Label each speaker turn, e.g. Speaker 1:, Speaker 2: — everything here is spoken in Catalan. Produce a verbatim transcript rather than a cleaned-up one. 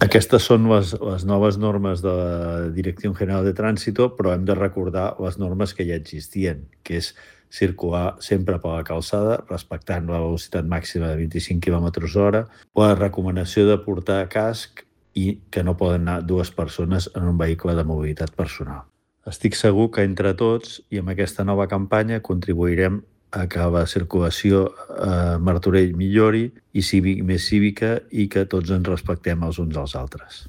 Speaker 1: Aquestes són les, les noves normes de la Dirección General de Tránsito, però hem de recordar les normes que ja existien, que és circular sempre per la calçada, respectant la velocitat màxima de vint-i-cinc quilòmetres hora, la recomanació de portar casc i que no poden anar dues persones en un vehicle de mobilitat personal. Estic segur que entre tots i amb aquesta nova campanya contribuirem a que la circulació a Martorell millori i sigui més cívica i que tots ens respectem els uns als altres.